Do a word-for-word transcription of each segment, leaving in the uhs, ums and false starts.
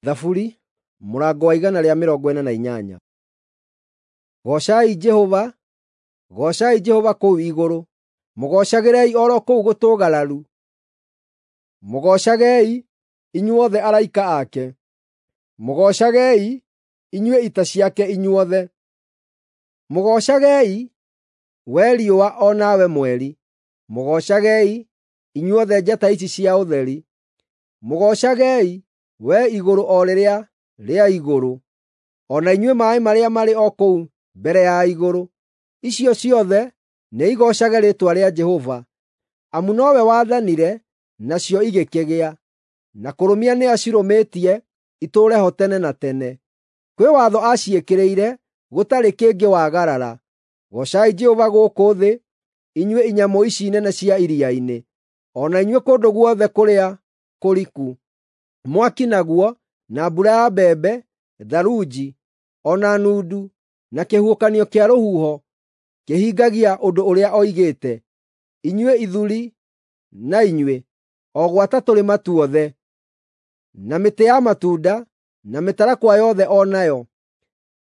Thaburi mũrango wa igana rĩa mĩrongo ĩna na inyanya. Goocai Jehova, goocai Jehova kũu igũrũ, mũgoocagĩrei o ro kũu gũtũũgararu. Mũgoocagei, inyuothe araika ake, mũgoocagei, inyuĩ ita ciake inyuothe. Mũgoocagei, we riũa o nawe mweri, mũgoocagei, inyuothe njata ici cia ũtheri. Mũgoocagei, we igũrũ o rĩrĩa rĩa igũrũ, o na inyuĩ maaĩ marĩa marĩ o kũu mbere ya igũrũ. Icio ciothe nĩigoocage rĩĩtwa rĩa Jehova, amu nowe wathanire, nacio igĩkĩgĩa, na kũrũmia nĩacirũmĩtie itũũre ho tene na tene. Kwĩ watho aciĩkĩrĩire gũtarĩ kĩngĩwagarara. Goocai Jehova gũkũ thĩ, inyuĩ inyamũ ici nene cia iria-inĩ, o na inyuĩ kũndũ guothe kũrĩa kũriku. Mwaki naguo, na mbura ya mbembe, tharunji, o na nundu, na kĩhuhũkanio kĩa rũhuho kĩhingagia ũndũ ũrĩa oigĩte. Inyuĩ ithuri na inyuĩ, o gwata tũrĩma tuothe, na mĩtĩ ya matunda, na mĩtarakwa yothe o nayo,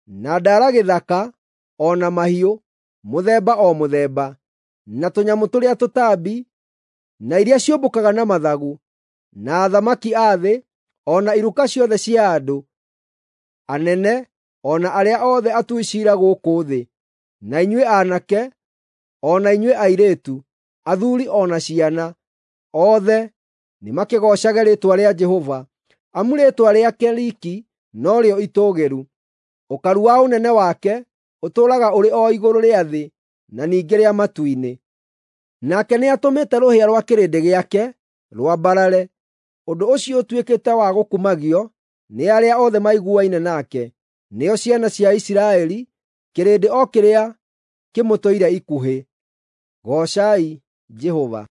na ndara gĩthaka, o na mahiũ, mũthemba o mũthemba, na tũnyamũ tũrĩa tũtambi, na iria ciũmbũkaga na mathagu, na athamaki a thĩ, o na iruka ciothe cia andũ, anene, o na arĩa othe atui ciira gũkũ thĩ, na inyuĩ aanake, o na inyuĩ airĩtu, athuuri o na ciana, othe nĩmakĩgoocage rĩĩtwa rĩa Jehova, amu rĩĩtwa rĩake riiki norĩo itũũgĩru. Ũkaru wa ũnene wake ũtũũraga ũrĩ o igũrũ rĩa thĩ na ningĩ rĩa matu-inĩ. Nake nĩatũmĩte rũhĩa rwa kĩrĩndĩ gĩake rwambarare, ũndũ ũcio ũtuĩkĩte wa gũkumagio nĩ arĩa othe maiguaine nake, nĩo ciana cia Isiraeli, kĩrĩndĩ o kĩrĩa kĩmũtũire ikuhĩ. Goocai Jehova.